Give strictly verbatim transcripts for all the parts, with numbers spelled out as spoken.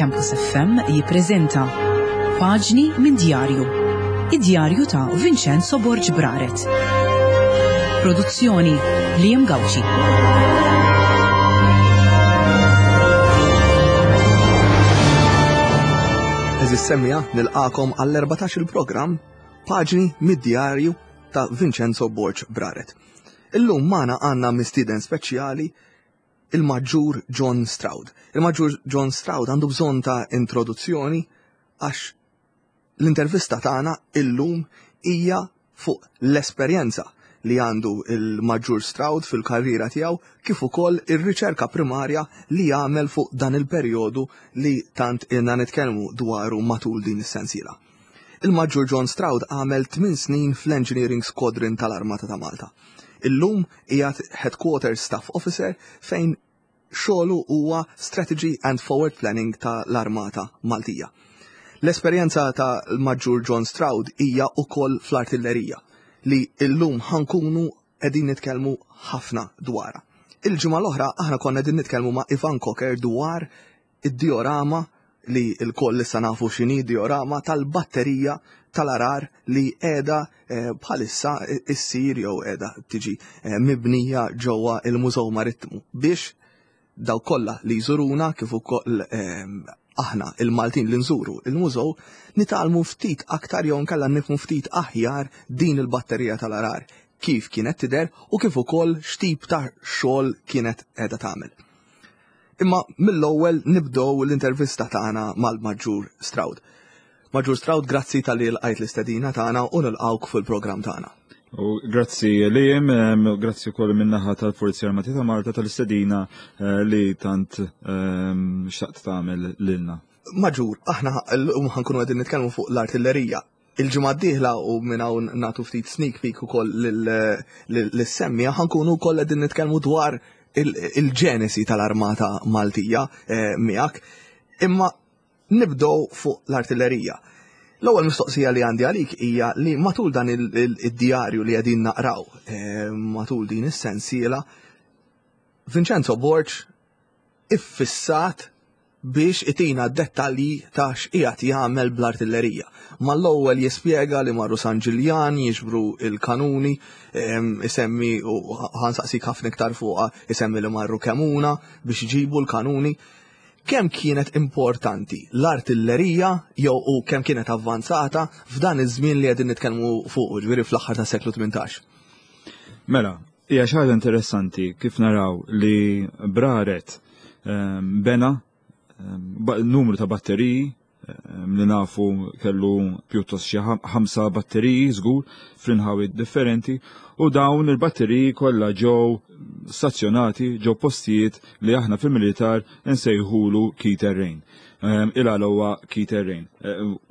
Campus F M jippreżenta Paġni minn Djarju. Id-djarju ta' Vincenzo Borg Braret. Produzzjoni Liam Gauci. Għeżież semmiegħa, nilqagħkom għall-erbatax il-programm Paġni mid-Djarju ta' Vincenzo Borg Braret. Illum magħna għandna mistieden speċjali, il-Maġġur John Stroud. Il-Maġġur John Stroud għandu bżonn ta' introduzzjoni, għax l-intervista tagħna illum hija fuq l-esperjenza li għandu il-Maġġur Stroud fil-karriera tiegħu, kif ukoll ir-riċerka primarja li jagħmel fuq dan il-perjodu li tant ilna nitkellmu dwaru matul din is-sensiela. Il-Maġġur John Stroud għamel tmien snin fl-Engineering Squadron tal-Armata ta' Malta. Illum qiegħed Headquarters Staff Officer, fejn xogħlu huwa Strategy and Forward Planning tal-Armata Maltija. L-esperjenza ta' l-Maġġur John Stroud hija ukoll fl-artillerija, li illum ħa nkunu qegħdin nitkellmu ħafna dwarha. Il-ġimgħa l-oħra aħna konna qegħdin nitkellmu ma' Ivan Cocker dwar id-diorama, li lkoll issa nafu x'inhi diorama, tal-batterija tal-Għargħar li qiegħda eh, bħalissa issir jew qiegħda tiġi eh, mibnija ġewwa il-Mużew Marittimu biex daw kollha li jżuruna, kif ukoll eh, aħna il-Maltin li nżuru il-mużew, nitgħallmu ftit aktar jew nkella nifhmu ftit aħjar din il-batterija tal-Għargħar kif kienet tidher u kif ukoll x'tip ta' xogħol kienet qiegħda tagħmel. Imma mill-ewwel nibdew l-intervista tagħna mal-Maġġur Stroud. Maġġur Stroud, grazzi talli lqajt l-istedina tagħna u nilqawk fil-programm tagħna. U grazzi Liam, grazzi wkoll min-naħa tal-Forzi Armati ta' Malta tal-istedina eh, li tant xtaqt tagħmel lilna. Maġġur, aħna llum ħa nkunu qegħdin nitkellmu fuq l-artillerija. Il-ġimgħa d-dieħla, u minn hawn nagħtu ftit sneak peek ukoll lis-semmiegħa, ħa nkunu wkoll qegħdin nitkellmu dwar il-ġenesi tal-Armata Maltija eh, miegħek. Imma nibdew fuq l-artillerija. L-ewwel mistoqsija li għandi għalik hija li matul dan id-djarju li qegħdin naqraw eh, matul din is-sensiela, Vincenzo Borg iffissat biex itina dettalji ta' x'qiegħed jagħmel bl-artillerija. Mal-ewwel jispjega li marru San Ġiljan jiġbru il-kanuni, isemmi, u ħa nsaqsik ħafna iktar fuqha, isemmi li marru Kemuna biex iġibu l-kanuni. Kemm kienet importanti l-artillerija jew u kemm kienet avvanzata f'dan iż-żmien li qegħdin nitkellmu fuq, ġifieri fl-aħħar tas-seklu tmintax? Mela, hija xi ħaġa interessanti kif naraw li Braret bena numru ta' batteriji li nafu kellu pjuttost xi ħamsa batteriji żgur fl-inħawi differenti, u dawn il-batteriji kollha ġew stazzjonati ġew postijiet li aħna fil-militar nsejħulu key terrain. Il-għala huwa key terrain?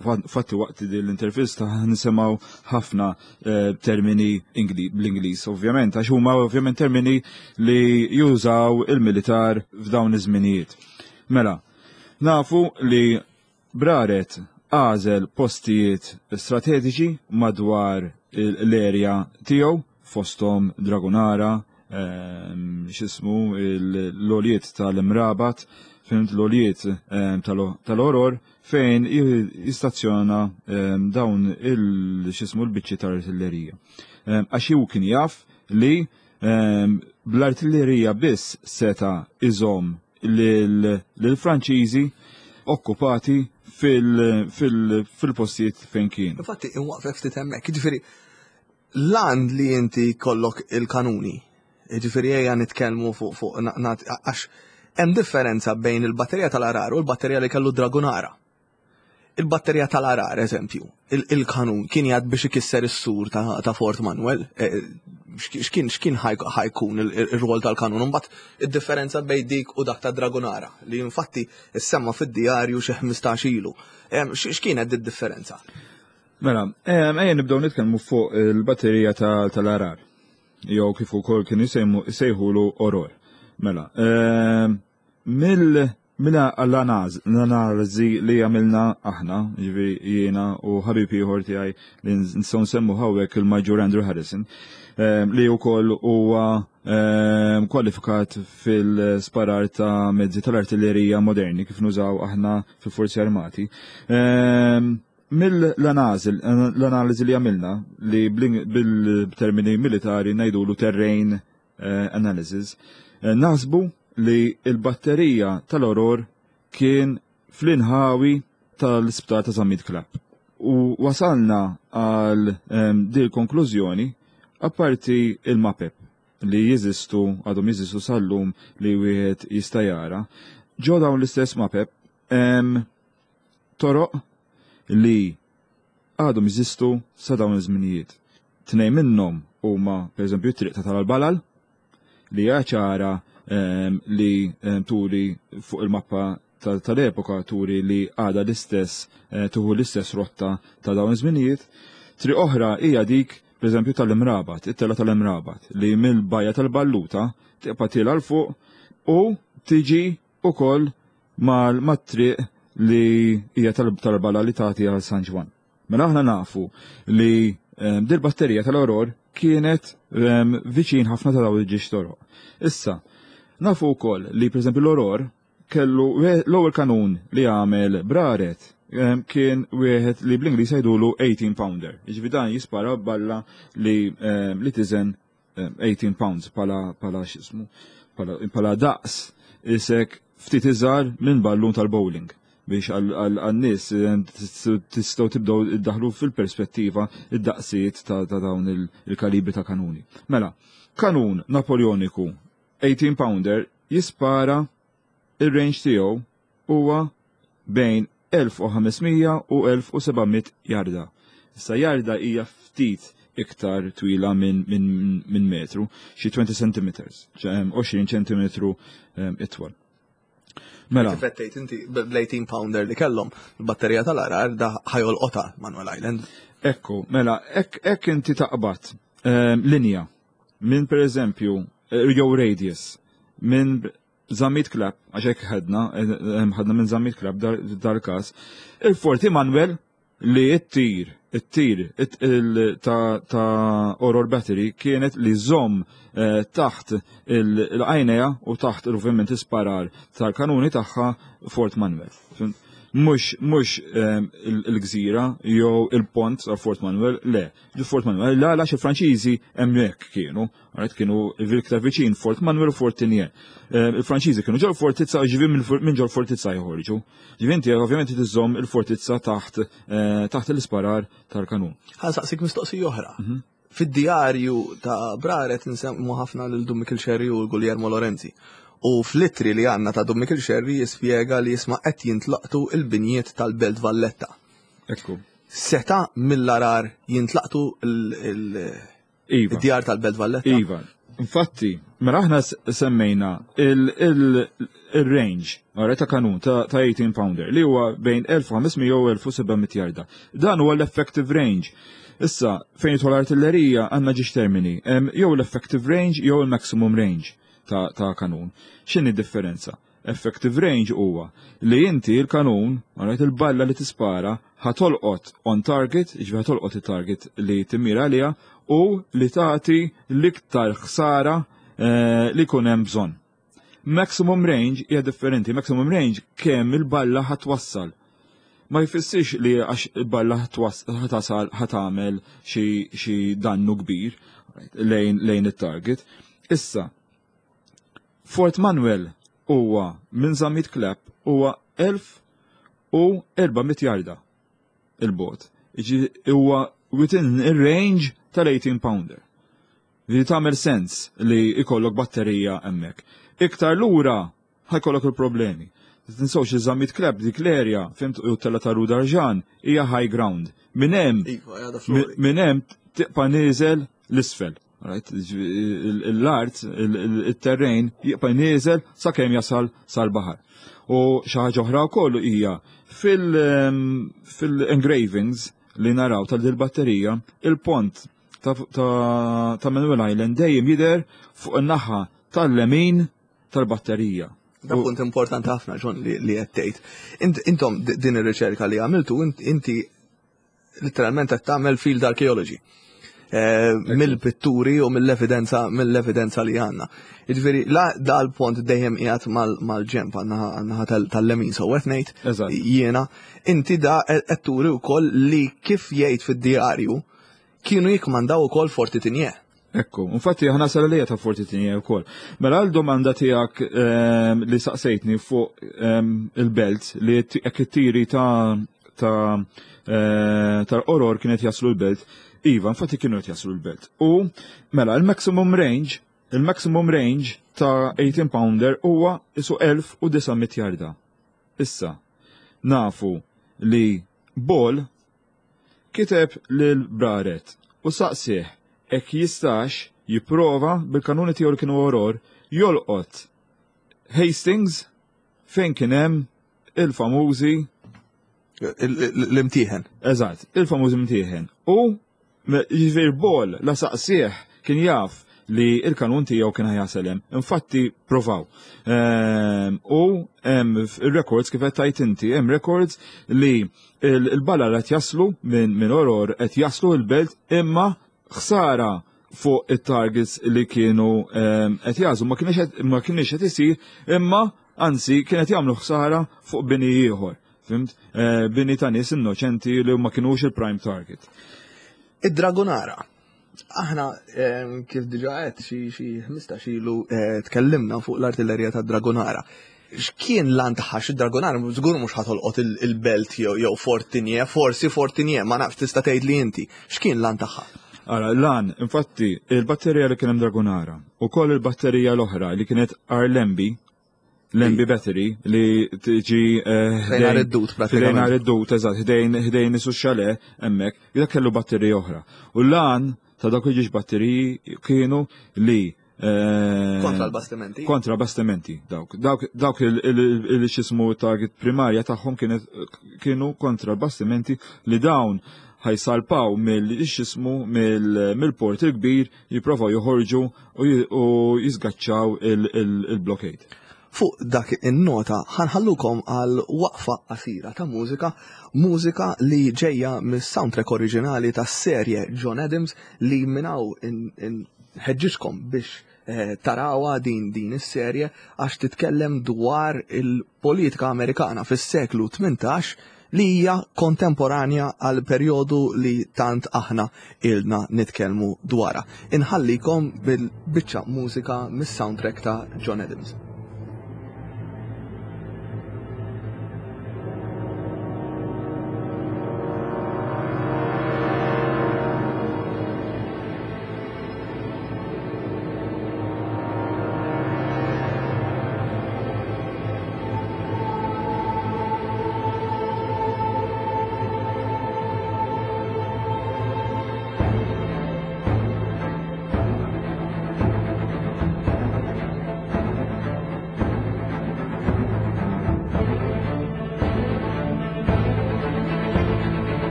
Fatti, waqt l-intervista nisimgħu ħafna eh, termini bl-Ingliż, ovvjament, għax huma ovvjament termini li jużaw il-militar f'dawn iż-żminijiet. Mela, nafu li Braret għażel postijiet strateġiċi madwar l-erja tiegħu, fostom Dragunara, ehm, x'ismu, l-għoljiet tal-Imrabat, fhimt, l-għoljiet ehm, tal-Għorgħor, fejn jistazzjona ehm, dawn il-x'ismu l-biċċi tal-artillerija. Għax hu kien jaf li bl-artillerija biss seta' iżomm lill-Franċiżi okkupati fil-postijiet fejn kien. Infatti, inwaqfek ftit hemmhekk, jiġifieri l-għan li inti kollok il-kanuni, jiġifieri ejja nitkellmu fuq fuq għax hemm differenza bejn il-batterija tal-Għargħar u l-batterija li kellu Dragunara. Il-batterija tal-Għargħar, eżempju, il-kanun kien jgħad biex ikisser is-sur ta' Fort Manuel, eh, x'kien x'kien ħa jkun il-rwol tal-kanun? Imbagħad id-differenza bejn dik u dak ta' Dragunara, li infatti issemma fid-djarju xi ħmistax ilu. X'kienet id-differenza? Mela, ejja nibdew nitkellmu fuq il-batterija tal-Għargħar, jew kif ukoll kien isejħulu Għorgħor. Mela, Mela l-analiżi li għamilna aħna, ġifieri jiena u ħabib ieħor tiegħi li nistgħu nsemmu hawnhekk, il-Maġġur Andrew Harrison, ehm, li wkoll huwa ehm, kwalifikat fil-sparar ta' mezzi tal-artillerija moderni kif nużaw aħna fil-Forzi Armati. Ehm, Mill-analiżi li għamilna, li bil-termini militari ngħidulu terrain eh, analysis, eh, naħsbu li il-batterija tal-Għargħur kien fl-inħawi tal-isptar ta' Zammit Clapp. U wasalna għal um, dil konklużjoni apparti il-mapep li jeżistu, għadhom jeżistu sal-lum, li wieħed jista' jara. Ġo dawn l-istess mapep hemm toroq li għadhom jeżistu sa dawn iż-żminijiet. Tnejn minnhom huma, pereżempju, t-triq ta' tal-Balal li hija ċara li turi fuq il-mappa tal-epoka, turi li għada l-istess, eh, tuħu l-istess rotta ta' dawn iż-żminijiet. Triq oħra hija dik, pereżempju, tal-Imrabat, it-tela tal-Imrabat, li mill-bajja tal-Balluta tibqa' tiela 'l fuq u tiġi ukoll mal-triq li hija tal-Bala li tagħti għal San Ġwann. Mela aħna nafu li dil-batterija tal-Għargħur kienet viċin ħafna ta' dawn il-ġiex toroq. Issa, nafu wkoll li, pereżempju, l-Għargħur kellu l-ewwel kanun li għamel Braret, kien wieħed li bl-Ingliż jgħidulu eighteen pounder. Jiġifieri dan jispara balla li li tiżen eighteen pounds pala pala x'ismu pala daqs isek ftit iżgħar minn ballun tal-bowling, biex għal-nies tistgħu tibdew iddaħlu fil-perspettiva id-daqsijiet ta' dawn il-kalibri ta' kanuni. Mela, kanun Napoleoniku eighteen pounder jispara, il-range tiegħu huwa bejn elf u ħames mija u elf u seba' mija jarda. Issa jarda hija ftit iktar twila minn min, min metru, xi twenty centimeters, għoxrin ċentimetru itwal. Mela. Kif inti bl-eighteen pounder li kellhom il-batterija tal-Għargħar, da ħa jolqotha Manuel Island. Ekku, mela, ek inti taqbad linja minn, per eżempju, eh, jew radius minn Zammit Clapp, għax hekk ħadna, eh, ħadna minn Zammit Clapp dal-każ, il-Forti Manuel, li it-tir, it-tir ta' Għargħur Battery kienet li żomm eh, taħt il-għajnejha u taħt ovvjament isparar tal-kanuni tagħha Fort Manuel. Mux, mux il-gżira jew il-pont ta' Fort Manuel, le, il-Fort Manuel, la, għax il-Franċiżi hemmhekk kienu, għaret kienu iktar viċin Fort Manuel u Fort Tigné. Il-Franċiżi kienu ġol fortizza, ġivi minn ġol fortizza joħorġu. Ġivi inti ovvjament tiżomm il-fortizza taħt eh, taħt l-isparar tal-kanun. Ħa nsaqsik mistoqsija oħra. Mhm. Fid-djarju ta' Braret nsemmu ħafna lil Dun Mikiel Xerri u Guglielmo Lorenzi. U fl-ittri li għandna ta' Dun Mikiel Xerri jispjega li jisma' qed jintlaqtu il-binjiet tal-Belt Valletta. Ekku. Seta mill-Għargħar jintlaqtu Iva. il-djar tal-Belt Valletta? Iva. Infatti, mela aħna semmejna il-range għara ta' kanun ta' eighteen pounder li huwa bejn elf u ħames mija u elf u seba' mija jarda. Dan huwa l-effective range. Issa, fejn jidħol artillerija għandna ġiex termini, jew l-effective range jew il-maximum range ta', ta kanun. X'inhi differenza? Effective range huwa li inti il-kanun, għarajt, il-balla li tispara ħa tolqot on target, ġifieri ħa tolqot il-target li timmira għaliha u li tagħti l-iktar ħsara eh, li jkun hemm bżonn. Maximum range hija differenti. Maximum range kemm il-balla ħa twassal. Ma jfissirx li għax il-balla ħa tasal ħa tagħmel xi dannu kbir lejn, lejn it-target. Issa, Fort Manuel huwa minn Zammit Clapp huwa elf u erba' mitt jarda il-bot. Huwa within il-range tal-eighteen pounder. Li tagħmel sens li ikollok batterija hemmhekk. Iktar lura ħa jkollok il-problemi. Tinsewx iż-Zammit Clapp, dik l-area, fhimt, u tella ta' Rudarġan hija high ground. Minn hemm Iva, għada flori. Minn hemm tibqa' nieżel l-isfel. Right? L-art, il-terrain jibqa' nieżel sakemm jasal sal-baħar. U xi ħaġa oħra wkoll hija fil-engravings li naraw tal-batterija, il-pont ta', ta, ta' Manuel Island dejjem jidher fuq in-naħa tal-lemin tal-batterija. Da punt importanti ħafna, John, li qed tgħid. Intom din ir-riċerka li għamiltu, inti literalment qed tagħmel field archaeology. Mill-pitturi u mill-evidenza mill-evidenza li għandna. Jiġifieri la dal-pont dejjem qiegħed mal-ġemp għan-naħa tal-lemin so qed ngħid jiena, inti da qed turi wkoll li kif jgħid fid-djarju kienu jikmandaw ukoll Forti Tigné. Ekku, infatti aħna sal-għalija ta' Forti Tigné wkoll. Mela għal domanda tiegħek ehm, li saqsejtni fuq ehm, il-belt li jekk it-tiri ta' ta' eh, tal-Qoror kienet jaslu l-belt, iva, infatti kienu qed jaslu l-belt. U mela il-maximum range, il-maximum range ta' eighteen pounder huwa isu elf u disa' mitt jarda. Issa, nafu li Ball kiteb lil Braret u saqsih hekk jistax jipprova bil-kanuni tiegħu li kienu Oror jolqot Hastings fejn kien hemm il-famużi l-imtieħen. Eżatt, il-famużi imtieħen. U jiġifieri Ball la saqsih kien jaf li il-kanun tiegħu kien ħajasel hemm. Infatti provaw. Ehm, u hemm ir-records kif qed tgħid inti, hemm records li il-balla qed jaslu minn min Oror qed jaslu l-belt imma ħsara fuq it-targets li kienu, ehm, qed jażu ma kienx qed, ma kienx qed isir, imma anzi kienet jagħmlu ħsara fuq bini ieħor. Fimt? Eh, bini ta' nies innoċenti li ma kienux il-prime target. Id-Dragonara. Aħna, ehm, kif diġà qed xi, xi ħmistax ilu, eh, tkellimna fuq l-artillerija ta' Dragonara. X'kien l-għan tagħha? Xi Dragonara żgur mhux ħatolqot il-, il-belt jew, jew Fort Tigné, forsi Fort Tigné, ma nafx tista' tgħid li inti. X'kien l-għan tagħha? Ara, l-għan, infatti, il-batterija li kien hemm Dragonara u koll il-batterija l-oħra li kienet Arlembi, Lembi Battery, li tiġi, eh, Ħdejn ħdejn id-dut, pratikament. Ħdejn id-dut, eżatt, ħdejn, ħdejn isu xale, hemmhekk, dak kellu batterija oħra. U l-għan ta' dawk il-ġiex batteriji kienu li, eh, Kontra l-bastimenti? Kontra l-bastimenti, dawk. Dawk, dawk il-, il-, il-, xismu target primarja tagħhom kienet, kienu kontra l-bastimenti li dawn ħajsalpaw mill-xismu mill-, mill-port il-kbir jipprovaw joħorġu u j-, u jisgaċċaw il-, il-, il-blockade. Fuq dak in-nota ħanħallukom għal waqfa qasira ta' mużika, mużika li ġejja mis-soundtrack oriġinali tas-serje John Adams li minnaw inħeġġiġkom biex, eh, tarawha din, din is-serje għax titkellem dwar il-politika Amerikana fis-seklu tmintax li hija kontemporanja għal perjodu li tant aħna ilna nitkellmu dwarha. Inħallikom bil-biċċa mużika mis-soundtrack ta' John Adams.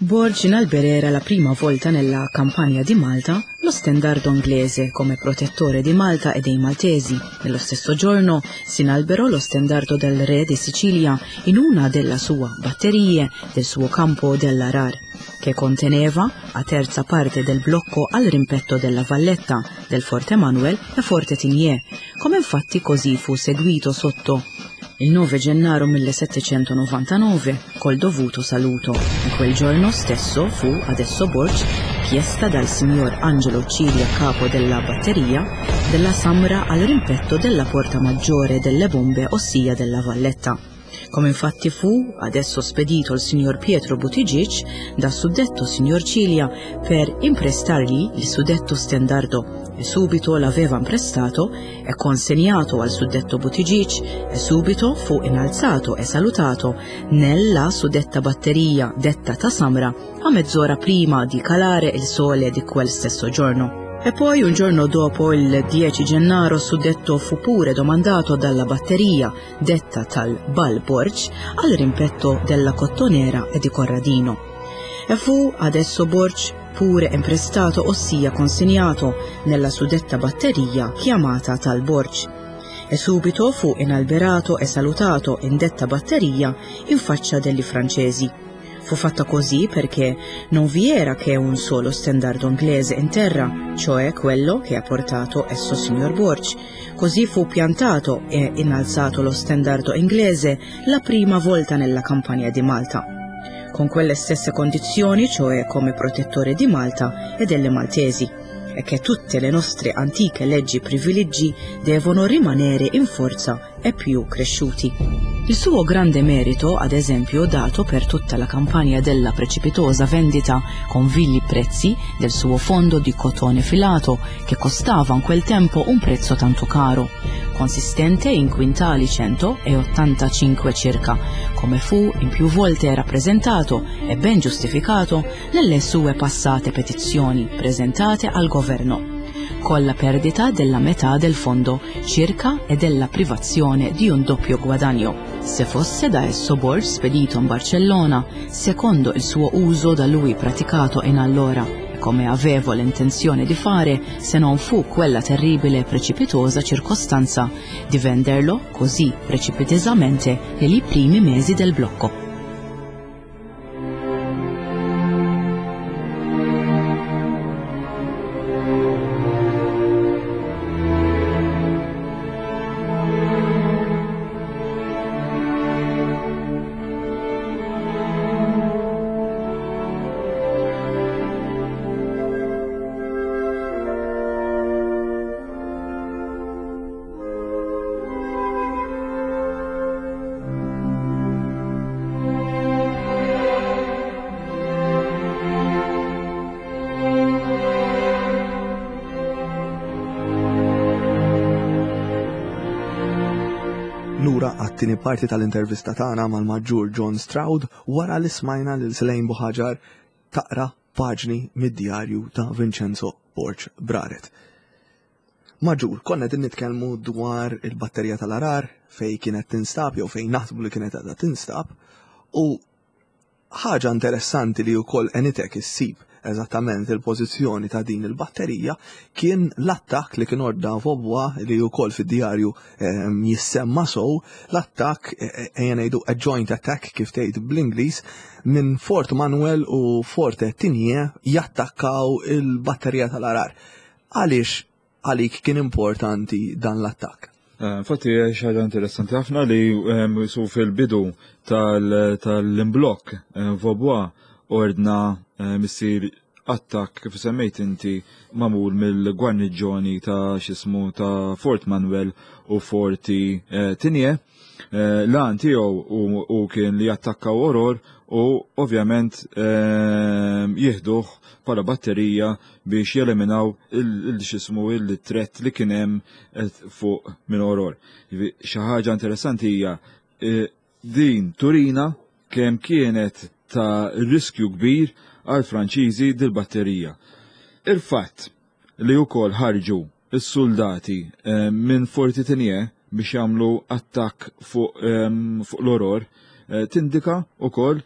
Borg inalberera la prima volta nella campagna di Malta lo stendardo inglese come protettore di Malta e dei Maltesi. Nello stesso giorno si inalberò lo stendardo del re di Sicilia in una della sua batterie del suo campo dell'Arar, che conteneva a terza parte del blocco al rimpetto della Valletta, del Forte Manuel e Forte Tigné, come infatti così fu seguito sotto il nove gennaro millesettecentonovantanove col dovuto saluto. In quel giorno stesso fu adesso Borg chiesta dal signor Angelo Cilia, capo della batteria della Samra, al rimpetto della porta maggiore delle bombe, ossia della Valletta. Come infatti fu adesso spedito il signor Pietro Buttigieg da suddetto signor Cilia per imprestargli il suddetto stendardo, e subito l'aveva imprestato e consegnato al suddetto Buttigieg, e subito fu innalzato e salutato nella suddetta batteria detta Tasamra a mezz'ora prima di calare il sole di quel stesso giorno. E poi un giorno dopo, il dieci gennaro, suddetto fu pure domandato dalla batteria detta tal Bal Borg al rimpetto della Cottonera e di Corradino. E fu adesso Borg pure imprestato, ossia consegnato nella suddetta batteria chiamata tal Borg. E subito fu inalberato e salutato in detta batteria in faccia degli francesi. Fu fatta così perché non vi era che un solo stendardo inglese in terra, cioè quello che ha portato esso signor Borg. Così fu piantato e innalzato lo stendardo inglese la prima volta nella campagna di Malta, con quelle stesse condizioni, cioè come protettore di Malta e delle Maltesi, e che tutte le nostre antiche leggi e privilegi devono rimanere in forza e più cresciuti. Il suo grande merito, ad esempio, dato per tutta la campagna della precipitosa vendita con vili prezzi del suo fondo di cotone filato, che costava in quel tempo un prezzo tanto caro, consistente in quintali centoottantacinque circa, come fu in più volte rappresentato e ben giustificato nelle sue passate petizioni presentate al governo, con la perdita della metà del fondo circa e della privazione di un doppio guadagno, se fosse da esso Borg spedito in Barcellona, secondo il suo uso da lui praticato in allora, e come avevo l'intenzione di fare se non fu quella terribile e precipitosa circostanza di venderlo così precipitosamente negli primi mesi del blocco. Lura għat-tieni parti tal-intervista tagħna mal-Maġġur John Stroud wara li smajna lil Selene Buhagiar taqra paġni mid-djarju ta' Vincenzo Borg Braret. Maġġur, konna qegħdin nitkellmu dwar il-batterija tal-Arar fej kienet tinstab jew fejn naħsbu li kienet għadha tinstab, u ħaġa interessanti li wkoll għenitek issib eżattament il-pożizzjoni ta' din il-batterija kien l-attakk li kien ordna Vaubois, li wkoll fid-djarju ehm, jissemma sow, l-attakk, ejja ngħidu a joint attack kif tgħid bl-Ingliż, minn Fort Manuel u Forte Tigné jattakkaw il-batterija tal-Arar. Għaliex għalik kien importanti dan l-attakk? Infatti xi ħaġa interessanti ħafna li ehm, su fil-bidu tal-imblokk Vaubois ordna missir attakk kif semmejt inti mamul mill-gwarniġġoni ta' xismu ta' Fort Manuel u Forti Tigné. L-għan tiegħu u kien li jattakkaw Oror u ovvjament jieħduh bħala batterija biex jeliminaw il-xismu il-threat li kien hemm fuq minn Oror. Xi ħaġa interessanti hija din turina kemm kienet ta' riskju kbir għal Franċiżi dil-batterija. Il-fatt li wkoll ħarġu s-soldati minn Forti Tigné biex jagħmlu attakk fuq, fuq l-Oror tindika wkoll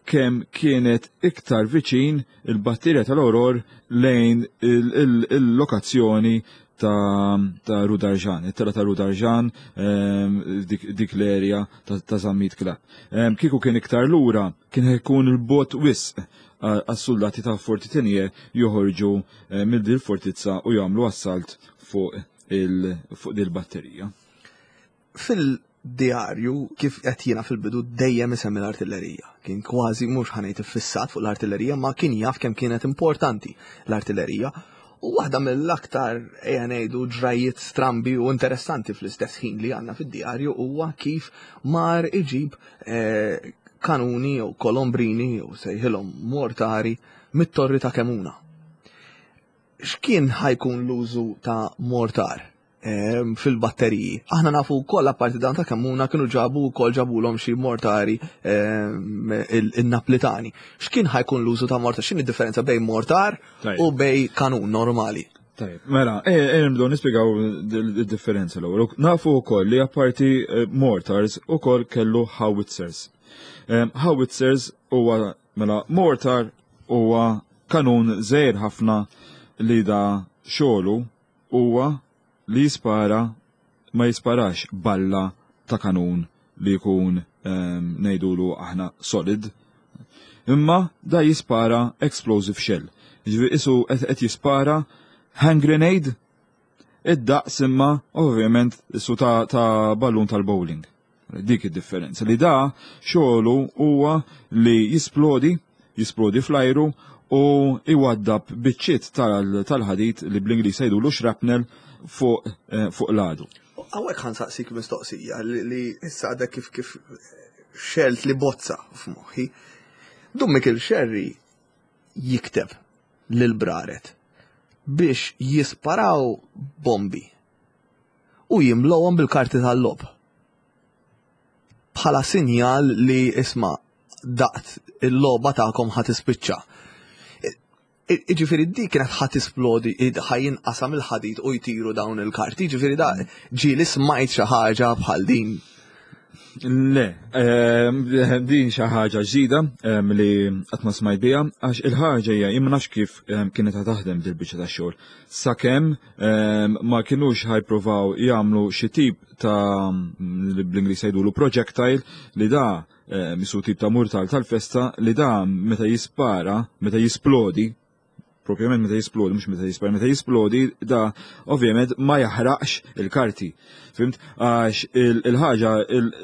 kemm kienet iktar viċin il-batterija tal-Auror lejn il-lokazzjoni ta', ta Rudarġan, it-tela ta' Rudarġan, ehm, dik, dik l-erja ta', ta Zammit Clapp. Ehm, kieku kien iktar lura, kien ikun il-bot wisq għas-soldati ta' Forti Tenier joħorġu eh, mill dil fortizza u jagħmlu assalt fuq il fuq dil-batterija. Fil-djarju, kif qed jiena fil-bidu, dejjem isemmi l-artillerija. Kien kważi mhux ħa ngħid iffissat fuq l-artillerija, ma kien jaf kemm kienet importanti l-artillerija. U waħda mill-aktar, ejja ngħidu, ġrajiet strambi u interessanti fl-istess ħin li għandna fid-djarju huwa kif mar iġib eh, kanuni jew kolombrini jew sejħilhom mortari mit-torri ta' Kemuna. X'kien ħa jkun l-użu ta' mortar ehm, fil-batteriji? Aħna nafu wkoll, apparti dan ta' Kemuna, kienu ġabu wkoll, ġabulhom xi mortari ehm, il-Naplitani. X'kien ħa jkun l-użu ta' mortar? X'inhi differenza bejn mortar u bejn kanun normali? Tajjeb, mela, e, e, nibdew nispjegaw il-differenza l-ewwel. Nafu wkoll li apparti eh, mortars ukoll kellu howitzers. Ehm, howitzers huwa, mela, mortar huwa kanun żgħir ħafna li da xogħlu huwa li jispara, ma jisparax balla ta' kanun li jkun ehm, ngħidulu aħna solid, imma da jispara explosive shell. Ġifieri isu qed jispara hand grenade id-daqs, imma ovvjament isu ta', ta ballun tal-bowling. Dik id-differenza, li da xogħlu huwa li jisplodi, jisplodi fl-ajru u iwaddab biċċiet tal-ħadid li bl-Ingliż jgħidulu shrapnel fuq eh, fuq l-għadu. Hawnhekk ħa nsaqsik mistoqsija li issa għadek kif kif xgħelt li bozza f'moħħi. Dun Mikiel Xerri jikteb lil Braret biex jisparaw bombi u jimlowhom bil-karti tal-logħob bħala sinjal li isma', daqt il-logħba tagħkom ħa tispiċċa. Iġifieri dik kienet ħa tisplodi, ħa jinqasam il-ħadid u jtiru dawn il-karti, ġifieri da ġieli smajt xi ħaġa bħal din? Le, ehm, din xi ħaġa ġdida ehm, li qatt ma smajt biha, għax il-ħaġa hija, jien ma nafx kif ehm, kienet taħdem dil-biċċa ta' xogħol. Sakemm ma kinux ħa jippruvaw jagħmlu xi tip ta' li bl-Ingliż jgħidulu projectile, li da misu tip ta' murtal tal-festa, li da meta jispara, meta jisplodi, propjament meta jisplodi, mhux meta jispara, meta jisplodi, da ovvjament ma jaħraqx il-karti. Fhimt? Għax il-ħaġa,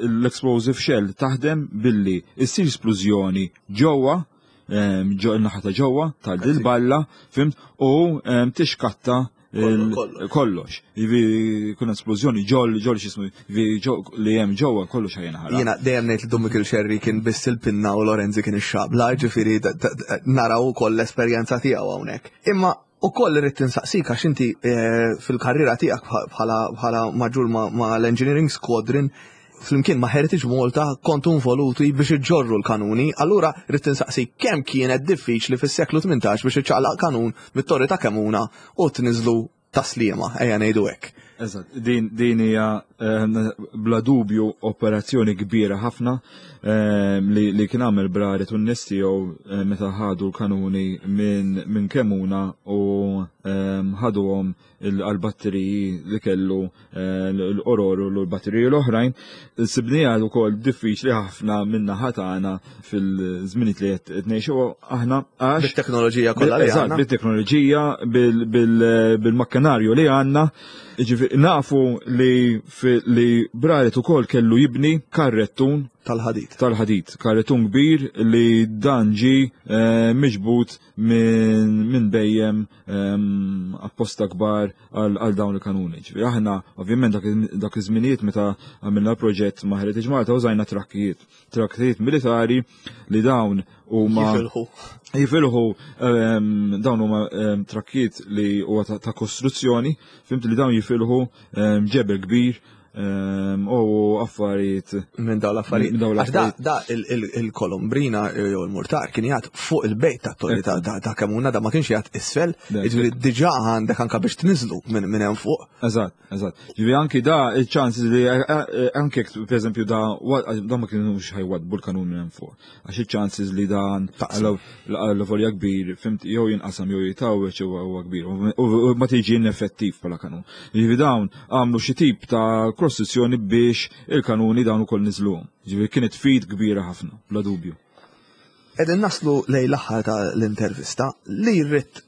l-explosive shell taħdem billi issir splużjoni ġewwa, ġo il-naħa ta' ġewwa tal-balla, fhimt? U tixkatta kollox. Jivi kun esplużjoni ġol ġol x'ismu li hemm ġewwa, kollox ħa jinħaraq. Jiena dejjem ngħid li Dun Mikiel Xerri kien biss il-pinna u Lorenzi kien ix-xabla, ġifieri naraw ukoll l-esperjenza tiegħu hawnhekk. Imma ukoll irrid tinsaqsik, għax inti eh, fil-karriera tiegħek bħala maġġur ma' l-Engineering Squadron flimkien ma' Heritage Malta kontu involuti biex iġorru l-kanuni, allura rrid tinsaqsi kemm kienet diffiċli fis-seklu tmintax biex iċċaqlaq kanun mit-torri ta' Kemuna u tniżlu Tas-Sliema, ejja ngħidu hekk. Eżatt, din din hija ehm, bla dubju operazzjoni kbira ħafna ehm, li, li kien għamel Braret u n-nies tiegħu eh, meta ħadu l-kanuni minn min Kemuna u ehm, ħaduhom għal-batteriji li kellu eh, l-Oror u l-batteriji l-oħrajn. Sibnija wkoll diffiċli ħafna minna ħatana fil-żminijiet li qed ngħixu aħna għax bit-teknoloġija kollha li għandna. Bit-teknoloġija, bil-makkinarju li għandna. Ġifieri nafu li li Braret ukoll kellu jibni karrettun tal-ħadid. Tal-ħadid, karrettun kbir li dan ġi eh, miġbut minn bhejjem ehm, apposta kbar għal dawn il-kanuni. Ġifieri aħna ovvjament dak iż-żminijiet meta għamilna proġett ma' Heritage Malta użajna trakkijiet, trakkijiet militari li dawn huma jifilħu. Jifilħu ehm, dawn huma ehm, trakkijiet li huwa ta' kostruzzjoni, fhimt, li dawn jifilħu ġebel kbir. ehm, u affarijiet. Minn dawn l-affarijiet. Minn dawn Għax da, l-affarijiet. da il- il- il-kolombrina jew il-murtar kien jgħat fuq il-bejt ta' torri ta' ta' ta' Kemmuna, da ma kienx jgħat isfel, Da, jiġifieri diġà għandek anka biex tniżlu minn minn hemm fuq. Eżatt, eżatt. Ġifieri anki da il-ċans li eh, eh, anke jekk, per eżempju da wa- da ma kienux ħajwadbu l-kanun minn hemm fuq. Għax il-chances li dan Taqsam. l-volja kbir, fhimt, jew jinqasam jew jitawweċ huwa huwa kbir. U u ma tiġi ineffettiv bħala kanun. Ġifieri dawn għamlu xi tip ta' kostruzzjoni biex il-kanuni dawn ukoll niżluhom. Ġifieri kienet feat kbira ħafna, bla dubju. Qegħdin naslu lejn l-aħħar ta' l-intervista li rrid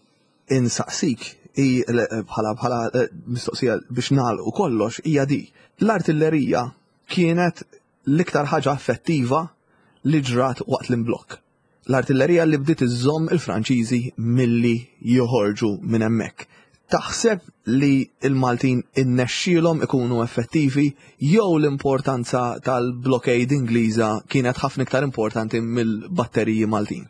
insaqsik i bħala bħala eh, mistoqsija biex nagħlqu kollox hija di. L-artillerija kienet l-iktar ħaġa effettiva li ġrat waqt l-imblokk. L-artillerija li bdiet iżżomm il-Franċiżi milli joħorġu minn hemmhekk. Taħseb li il-Maltin innexxielhom ikunu effettivi jew l-importanza tal-blockade Ingliża kienet ħafna iktar importanti mill-batteriji Maltin?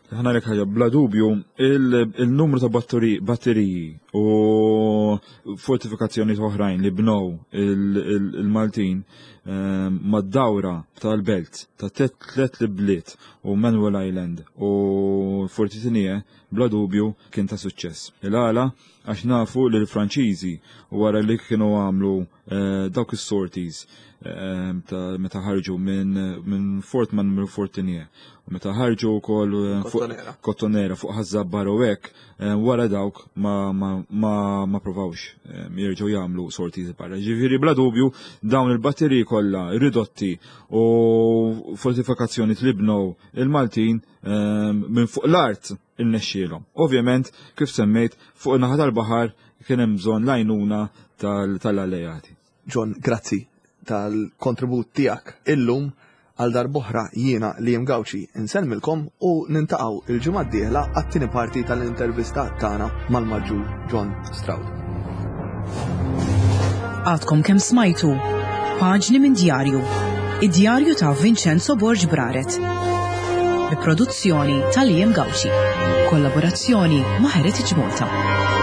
Ħa ngħidlek ħaġa, bla dubju, il- il-numru ta' batteri- batteriji u fortifikazzjoni oħrajn li bnow il- il- il-Maltin ehm, mad-dawra tal-belt ta' tlet bliet u Manuel Island u Forti Tigné, bla dubju kien ta' suċċess. Il-għala għax nafu li l-Franċiżi wara li kienu għamlu eh, dawk is-sorties eh, ta' meta ħarġu minn minn Fort Manuel Fort Tigné u meta ħarġu wkoll eh, fuq Kottonera. Kottonera fuq Ħaż-Żabbar u hekk, eh, wara dawk ma, ma, ma, ma provawx eh, jerġgħu jagħmlu sorties barra. Ġifieri bla dubju dawn il-batteriji kollha ridotti u fortifikazzjoni li bnew il-Maltin eh, minn fuq l-art irnexxielhom. Ovvjament, kif semmejt, fuq in-naħa tal-baħar kien hemm bżonn l-għajnuna tal- tal-alleati. John, grazzi tal-kontribut tiegħek illum. Għal darb'oħra jiena Liam Gauci insellmilkom u niltaqgħu il-ġimgħa d-dieħla għat-tieni parti tal-intervista tagħna mal-Maġġur John Stroud. Għadkom kemm smajtu Paġni minn djarju, id-djarju ta' Vincenzo Borg Braret. Bi produzzjoni ta' Liam Gauci. Kollaborazzjoni ma' Heritage Malta.